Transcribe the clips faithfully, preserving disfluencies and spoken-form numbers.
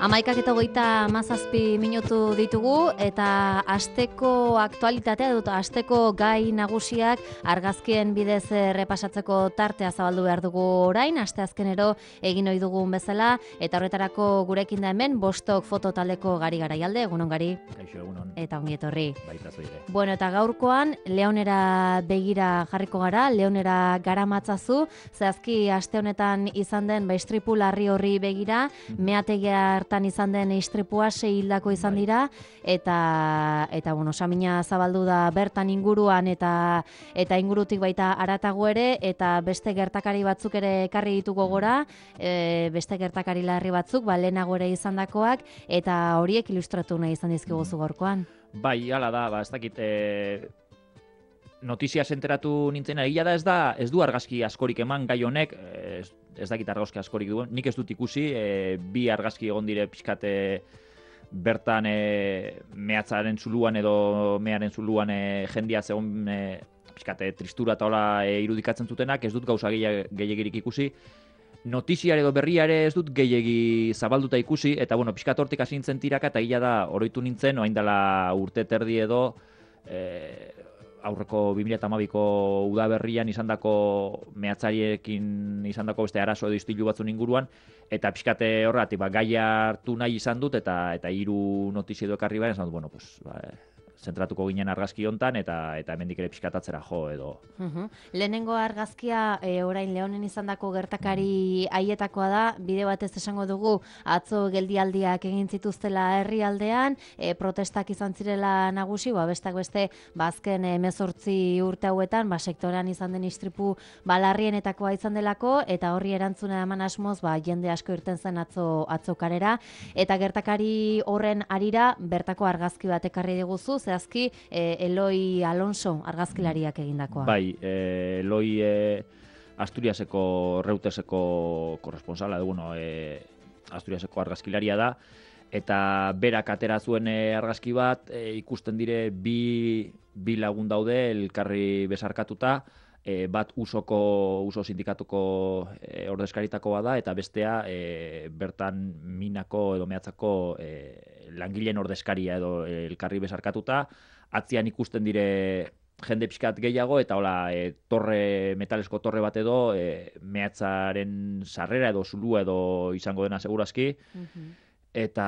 Amaikak eta hogeita hamazazpi minutu ditugu eta asteko aktualitatea dut, asteko gai nagusiak argazkien bidez repasatzeko tartea zabaldu behar dugu orain, asteazkenero egin ohi dugun bezala, eta horretarako gurekin da hemen Bostok fototaldeko Gari Garaialde, egunon Gari. Kaixo, egunon. Eta ongi etorri. Baita zoire. Bueno, eta gaurkoan Leonera begira jarriko gara, Leonera garamatzazu, zehazki aste honetan izan den ba, istripu larri horri begira, meategia hartan izan den istripua sei hildako izan dira, eta eta bueno, samina zabaldu da bertan inguruan eta eta ingurutik baita haratago ere, eta beste gertakari batzuk ere ekarri dituko gora, e, beste gertakari larri batzuk, ba lehenago ere izandakoak, eta horiek ilustratu nahi izan dizkiguzu gaurkoan. Bai, hala da, ba, ez dakit, e, notizia enteratu nintzen, egia da ez da, ez du argazki askorik eman gai honek, ez, ez dakit argazki askorik duen, nik ez dut ikusi, e, bi argazki egon dire pixkate bertan e, mehatzaren zuluan edo mearen zuluan e, jendia zegoen e, pixkate tristura eta hola e, irudikatzen zutenak, ez dut gauza gehiagirik ikusi. Notiziare edo berriare ez dut gehiegi zabalduta ikusi, eta bueno, pixkat hortik hasi nintzen tiraka, eta gila da, oroitu nintzen, oain dela urte terdi edo, e, aurreko bi mila hamabiko udaberrian izandako mehatzariekin izandako beste arazo edo istilu batzun inguruan, eta pixkate horregatik, ba, gaia hartu nahi izan dut, eta eta hiru notizia edo ekarri behar, esan dut, bueno, pues, ba, zentratuko ginen argazki hontan eta eta hemendik ere pixkatatzera jo edo. Uhum. Lehenengo argazkia e, orain Leonen izandako gertakari haietakoa da, bide batez esango dugu atzo geldialdiak egin zituztela herrialdean, e, protestak izan zirela nagusi, ba bestak beste bazken hemezortzi urte hauetan, ba sektorean izan den istripu balarrienetakoa izan delako, eta horri erantzuna eman asmoz, ba jende asko irten zen atzo atzo karera, eta gertakari horren harira bertako argazki bat ekarri diguzu, zehazki eh, Eloi Alonso argazkilariak egindakoa. Bai, eh, Eloi eh, Asturiaseko Reuteseko korresponsala, bueno, eh, Asturiaseko argazkilaria da, eta berak atera zuen eh, argazki bat, eh, ikusten dire bi, bi lagun daude elkarri besarkatuta, eh, bat usoko, uso sindikatuko eh, ordezkaritakoa da, eta bestea eh, bertan minako edo mehatzako eh, langileen ordezkaria edo elkarri besarkatuta, atzian ikusten dire jende pixkat gehiago, eta hola, e, torre, metalesko torre bat edo, e, mehatzaren sarrera edo zulua edo izango dena segurazki, uh-huh. eta,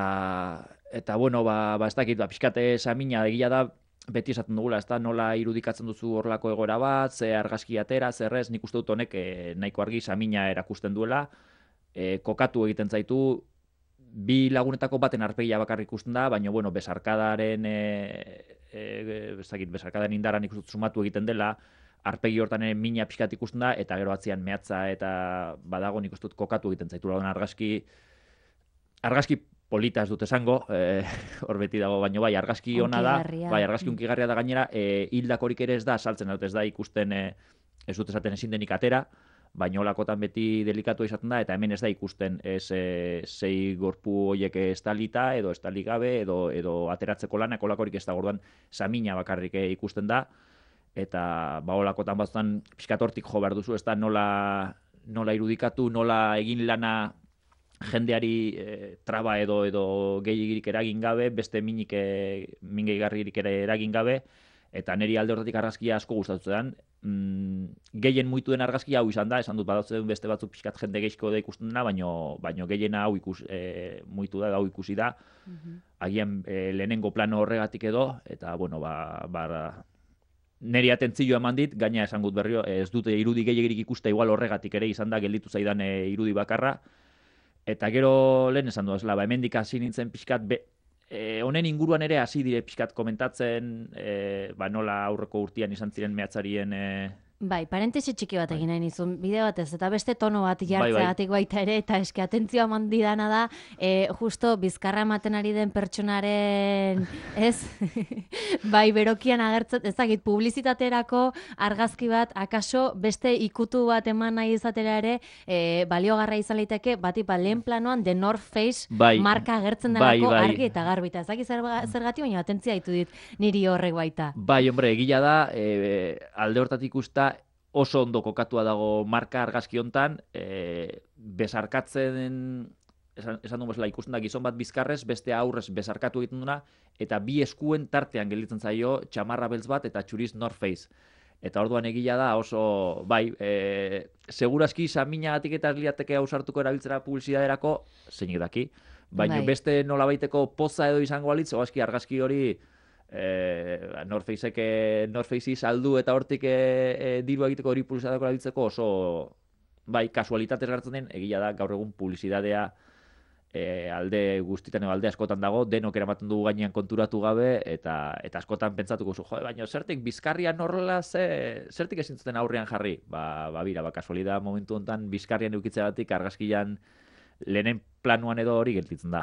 eta bueno, ba, ba ez dakit, ba, pixkate samina egia da, beti esaten dugula, ez da, nola irudikatzen duzu horrelako egoera bat, ze argazki atera, zerrez, nik uste dut honek e, nahiko argi samina erakusten duela, e, kokatu egiten zaitu, bi lagunetako baten arpegia bakarrik ikusten da, baina, bueno, besarkadaren, e, e, bezakit, besarkadaren indaran ikusten sumatu egiten dela, arpegi hortan ere mina pixkat ikusten da, eta gero atzian mehatza eta badago nik uste dut kokatu egiten zaitu. Argazki, argazki polita ez dut esango, e, hor beti dago, baina bai, argazki ona da, bai, argazki unkigarria da gainera, e, hildakorik ere ez da, saltzen dut ez da ikusten, e, ez dut esaten ezin denik atera, baina olakotan beti delikatu izaten da, eta hemen ez da ikusten ez e, zei gorpu horiek estalita, edo estali gabe, edo, edo ateratzeko lanak olakorik ez da, gorduan samina bakarrik ikusten da, eta ba olakotan batzutan pixkatortik jo behar duzu, ez da nola, nola irudikatu, nola egin lana jendeari e, traba edo edo gehiagirik eragin gabe, beste minik e, min gehiagarririk ere eragin gabe, eta niri alde horretik argazkia asko gustatu zen. Mm, gehien muitu den argazkia hau izan da, esan dut badautzen beste batzuk pixkat jende geizko da ikusten dena, baino, baino gehiena hau ikus, e, muitu da, hau ikusi da. Uh-huh. Agian e, lehenengo plano horregatik edo, eta bueno, ba, ba niri atentzioa eman dit, gaina esan gut berrio, ez dute irudi gehiagirik ikuste igual horregatik ere izan da gelditu zaidan e, irudi bakarra, eta gero lehen esan du, ba, hemendik hasi nintzen pixkat, be, E, honen inguruan ere hasi dire pixkat komentatzen, e, ba, nola aurreko urtean izan ziren mehatzarien... E... Bai, parentesi txiki bat egin nahi nizun, bide batez, eta beste tono bat jartzeagatik baita ere, eta eski atentzioa eman didana da, e, justo bizkarra ematen ari den pertsonaren, ez? Bai, berokian agertzen, ez dakit, publizitaterako argazki bat, akaso beste ikutu bat eman nahi izatera ere, e, baliogarra izan liteke, bati ba, lehen planoan The North Face bai, marka agertzen delako bai, bai. Argi eta garbita. Ez dakit zergatik, baina atentzia ditu dit niri horrek baita. Bai, hombre, egila da, e, alde hortatik usta, oso ondo kokatua dago marka argazki hontan, e, besarkatzen esan, esan duen bezala ikusten da gizon bat bizkarrez, beste aurrez bezarkatu egiten duna, eta bi eskuen tartean gelditzen zaio txamarra beltz bat eta txuriz North Face. Eta orduan egila da oso, bai, e, segurazki saminagatik eta liateke ausartuko erabiltzera publizidaderako, zeinik daki, baina Bai. beste nolabaiteko poza edo izango alitz, oazki argazki hori e, North Facek North Facei saldu eta hortik e, e, diru egiteko hori publizidadeko erabiltzeko oso, bai, kasualitatez gertzen den, egila da gaur egun publizidadea E, alde guztitan edo alde askotan dago, denok eramaten dugu gainean konturatu gabe, eta eta askotan pentsatuko zu, jo, baina zertik bizkarrian horrela ze, zertik ezin zuten aurrean jarri? Ba, ba bira, ba, kasualidad momentu honetan bizkarrian eukitzeratik argazkian lehenen planuan edo hori gelditzen da.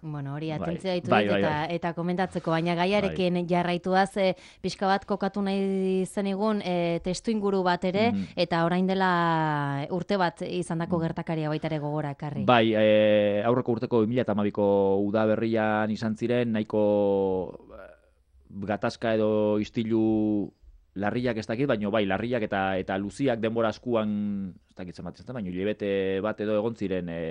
Bueno, hori Bai, atentzia ditu bai, dit bai, eta, bai. eta komentatzeko, baina gaiarekin jarraituaz e, pixka bat kokatu nahi zenigun e, testu inguru bat ere, Mhm. eta orain dela urte bat izandako gertakaria baita ere gogora ekarri. Bai, e, aurreko urteko bi mila hamabiko udaberrian izan ziren, nahiko gatazka edo istilu larriak ez dakit, baina bai, larriak eta eta luziak denbora askuan, ez dakit zenbat izan, baina hilabete bat edo egon ziren e,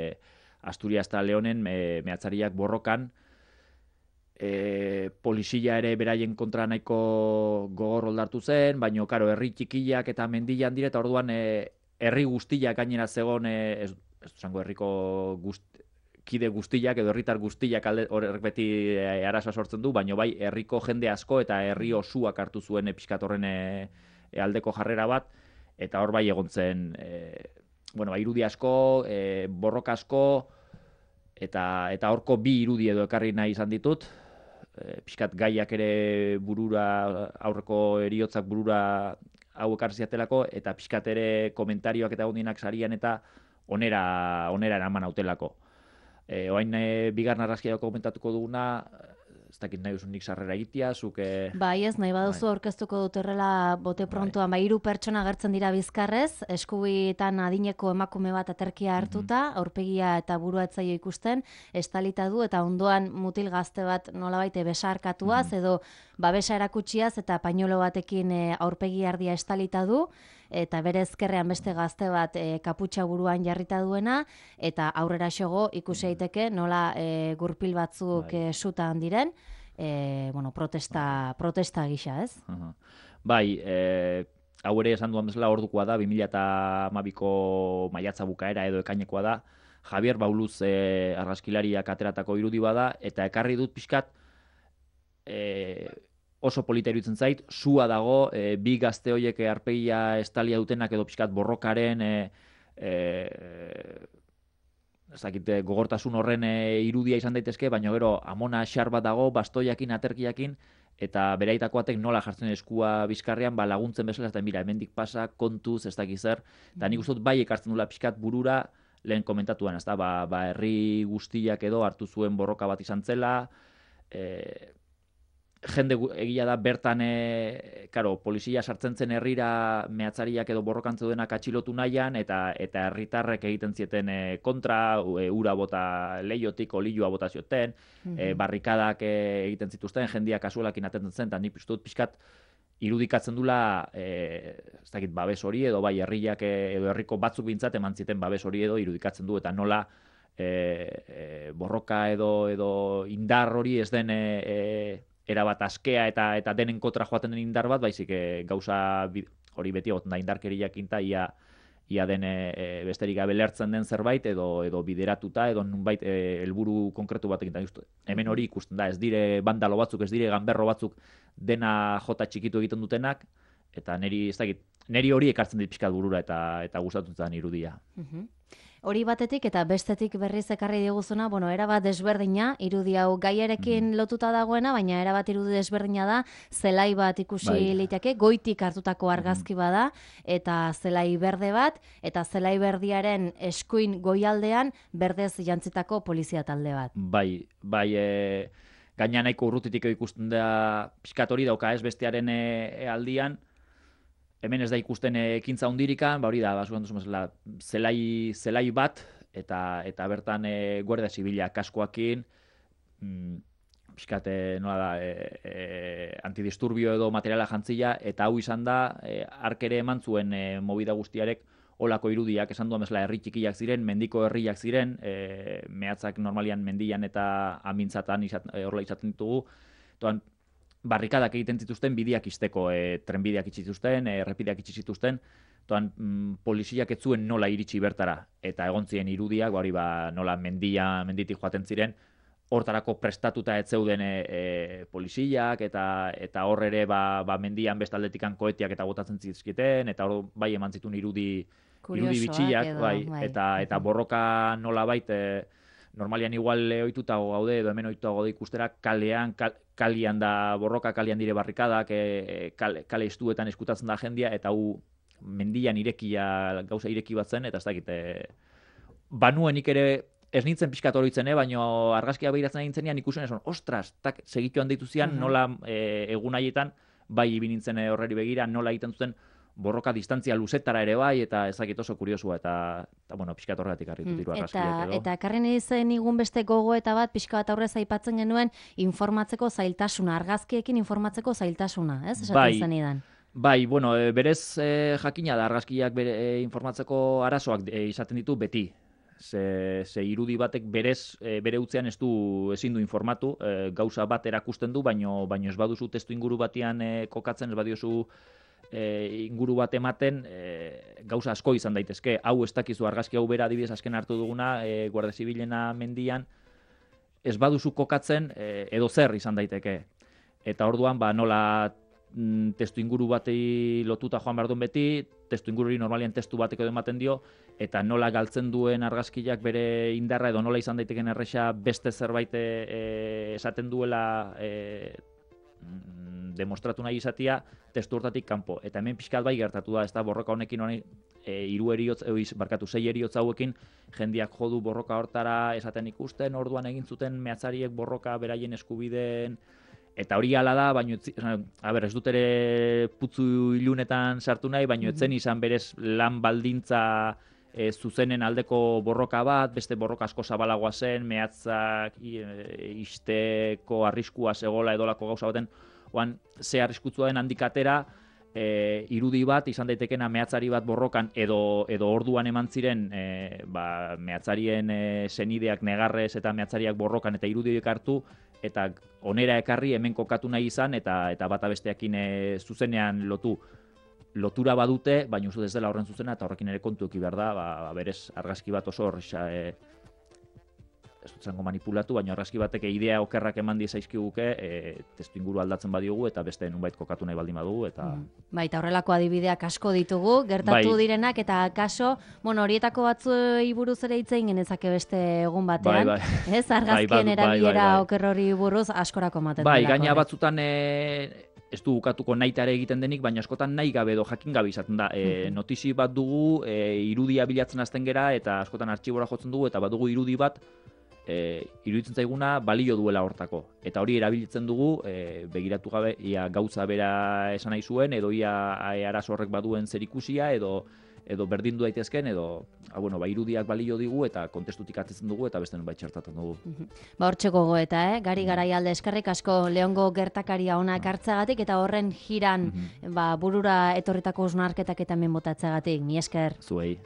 Asturias eta Leonen e, mehatzariak borrokan, e, polizia ere beraien kontra nahiko gogor oldartu zen, baina, karo, herri txikiak eta mendilan dire, eta orduan e, herri guztiak gainera zegon, e, ez, ez zango herriko guzt, kide guztiak edo herritar guztiak alde horrek beti e, arazoa sortzen du, baina bai herriko jende asko eta herri osuak hartu zuen e, pixkat horren e, e, aldeko jarrera bat, eta hor bai egon zen, e, bueno, ba, irudi asko, e, borroka asko, eta eta horko bi irudi edo ekarri nahi izan ditut, e, pixkat gaiak ere burura, aurreko eriotzak burura hau ekarri ziatelako, eta pixkat ere komentarioak eta gondinak sarian eta onera, onera eraman hautelako. E, oain e, bigarren argazkia komentatuko duguna, ez dakit nahi duzunik sarrera egitea, zuk... E... Bai, ez, nahi baduzu aurkeztuko dut horrela bote prontuan, bai, hiru pertsona agertzen dira bizkarrez, eskubietan adineko emakume bat aterkia hartuta, mm-hmm. aurpegia eta burua etzaio ikusten, estalita du, eta ondoan mutil gazte bat nolabait besarkatuaz, mm-hmm. edo babesa erakutsiaz, eta pañuelo batekin e, aurpegi ardia estalita du, eta bere ezkerrean beste gazte bat e, kaputxa buruan jarrita duena, eta aurrera xogo ikusi daiteke nola e, gurpil batzuk e, sutan diren, e, bueno, protesta, protesta gisa, ez? Uh-huh. Bai, e, hau ere esan duan bezala ordukoa da, bi mila hamabiko maiatza bukaera edo ekainekoa da, Javier Bauluz e, argazkilariak ateratako irudi bada, eta ekarri dut pixkat, e, oso polita iruditzen zait, sua dago, e, bi gazte horiek arpegia estalia dutenak edo pixkat borrokaren e, e, ez dakit, gogortasun horren e, irudia izan daitezke, baina gero amona xar bat dago, bastoiakin, aterkiakin, eta beraitakoatek nola jartzen eskua bizkarrean, ba, laguntzen bezala, eta mira, hemendik pasa, kontuz, ez dakit zer, eta nik uste dut bai ekartzen dula pixkat burura, lehen komentatuan, ez da, ba, ba, herri guztiak edo hartu zuen borroka bat izan zela, e, jende egia da bertan, e, karo, polizia sartzen zen herrira mehatzariak edo borrokantze duenak atxilotu nahian, eta eta herritarrek egiten zieten e, kontra, e, ura bota leiotik, olioa bota zioten, mm-hmm. e, barrikadak e, egiten zituzten, jendia kasuelakin atentzen zen, eta nik piztut pixkat irudikatzen dula, e, ez dakit, babes hori, edo bai herriak edo herriko batzuk bintzat eman ziten babes hori edo irudikatzen du, eta nola e, e, borroka edo, edo indar hori ez den... E, e, erabat askea eta eta denen kontra joaten den indar bat, baizik e, gauza hori beti egoten da indarkeriak inta, ia, ia den e, besterik gabe lertzen den zerbait, edo edo bideratuta, edo nunbait helburu e, konkretu batekin. Hemen hori ikusten da, ez dire bandalo batzuk, ez dire ganberro batzuk dena jota txikitu egiten dutenak, eta neri, ez dakit, neri hori ekartzen dit pixkat burura eta eta gustatutzen irudia. Mhm. Hori batetik eta bestetik berriz ekarri diguzuna, bueno, erabat desberdina, irudi hau gaiarekin mm-hmm. lotuta dagoena, baina erabat irudi desberdina da, zelai bat ikusi bai. Liteke, goitik hartutako argazki bada, eta zelai berde bat, eta zelai berdiaren eskuin goialdean berdez jantzitako polizia talde bat. Bai, bai, e, gaina nahiko urrutitik ikusten da, pixkat hori dauka ez bestearen e, aldian, hemen ez da ikusten ekintza hundirikan, ba hori da, basuan duzu mesela, zelai, zelai bat, eta eta bertan e, guardia zibila kaskoakin, mm, pixkat, nola da, e, e, antidisturbio edo materiala jantzila, eta hau izan da, e, arkere eman zuen e, movida guztiarek olako irudiak, esan duan bezala herri txikiak ziren, mendiko herriak ziren, e, mehatzak normalian mendian eta amintzatan izat, e, horrela izaten ditugu, toan, barrikadak egiten zituzten bideak izteko, e, trenbideak itxi zituzten, e, errepideak itxi zituzten, toan, mm, poliziak ez zuen nola iritsi bertara, eta egon ziren irudiak, hori ba, nola mendia, menditik joaten ziren, hortarako prestatuta ez zeuden e, e, poliziak, eta eta hor ere ba, ba mendian bestaldetikan koetiak eta botatzen zizkiten, eta hor bai eman zituen irudi, irudi bitxiak, edo, bai, bai. eta, eta borroka nola baita, normalian igual ohituta gaude edo hemen ohituta gaude ikustera kalean, kal, kalian da borroka, kalian dire barrikadak, e, kale, kale estuetan eskutatzen da jendia, eta hu mendian irekia, gauza ireki bat zen, eta ez dakit, e, banuenik ere ez nintzen pixkat horitzen, eh, baina argazkia behiratzen nintzenean ikusen esan, ostras, tak, segituan deitu zian, uh -huh. nola e, egun haietan, bai ibi nintzen horreri begira, nola egiten zuten borroka distantzia luzetara ere bai, eta ezakit oso kuriosua, eta, eta bueno, pixkat horregatik harritu diru argazkiak edo. Eta karren izen igun beste gogo eta bat, pixka bat aurrez aipatzen genuen, informatzeko zailtasuna, argazkiekin informatzeko zailtasuna, ez? Esaten Bai, zenidan. Bai, bueno, e, berez e, jakina da argazkiak bere, e, informatzeko arazoak e, izaten ditu beti. Ze, ze irudi batek berez, e, bere utzean ez du ezin du informatu, e, gauza bat erakusten du, baino, baino ez baduzu testu inguru batean e, kokatzen, ez badiozu e, inguru bat ematen, e, gauza asko izan daitezke. Hau ez dakizu argazki hau bera adibidez azken hartu duguna, e, Guardia Zibilena mendian, ez baduzu kokatzen e, edo zer izan daiteke. Eta orduan, ba, nola testu inguru batei lotuta joan behar duen beti, testu ingururi normalian testu batek edo ematen dio, eta nola galtzen duen argazkiak bere indarra edo nola izan daiteken erresa beste zerbait e, esaten duela e, demostratu nahi izatia testu hortatik kanpo. Eta hemen pixkat bai gertatu da, ez da borroka honekin honi, e, iru eriotz, e, barkatu, sei eriotz hauekin jendiak jodu borroka hortara esaten ikusten, orduan egin zuten mehatzariek borroka beraien eskubideen. Eta hori hala da, baina a ber, ez dut ere putzu ilunetan sartu nahi, baina etzen izan berez lan baldintza e, zuzenen aldeko borroka bat, beste borroka asko zabalagoa zen, mehatzak e, isteko arriskua zegoela edolako gauza baten, oan ze arriskutzua den handikatera, e, irudi bat izan daitekena mehatzari bat borrokan edo, edo orduan eman ziren e, ba, mehatzarien e, senideak negarrez eta mehatzariak borrokan eta irudiak hartu, eta onera ekarri hemen kokatu nahi izan, eta eta bata besteakin e, zuzenean lotu lotura badute, baina uste ez dela horren zuzena, eta horrekin ere kontu eki behar da, ba, berez argazki bat oso horrexa, e, ez dut zango manipulatu, baina argazki batek idea okerrak eman dizaizkiguke, e, testu inguru aldatzen badiogu, eta beste nunbait kokatu nahi baldin badugu, eta... Mm. Bai, eta horrelako adibideak asko ditugu, gertatu bai. direnak, eta kaso, bueno, horietako batzuei buruz ere hitz egin genezake beste egun batean, bai, bai. ez? Argazkien bai, bai, erabilera bai, bai. oker hori buruz askorako ematen Bai, delako, gaina eh? batzutan e, ez du bukatuko nahitare egiten denik, baina askotan nahi gabe edo jakin gabe izaten da. E, notizi bat dugu, e, irudia bilatzen hasten gera, eta askotan artxibora jotzen dugu, eta badugu irudi bat, e, iruditzen zaiguna balio duela hortako. Eta hori erabiltzen dugu, e, begiratu gabe, ia gauza bera esan nahi zuen, edo ia arazo horrek baduen zerikusia, edo edo berdin du daitezken, edo ah, bueno, ba, irudiak balio digu, eta kontestutik atetzen dugu, eta beste nunbait txertatzen dugu. Ba, hortxe gogoeta, eh? Gari Garaialde eskerrik asko Leongo gertakaria ona ekartzeagatik, eta horren jiran ba, burura etorritako osnarketak eta hemen botatzeagatik. Mi esker. Zuei.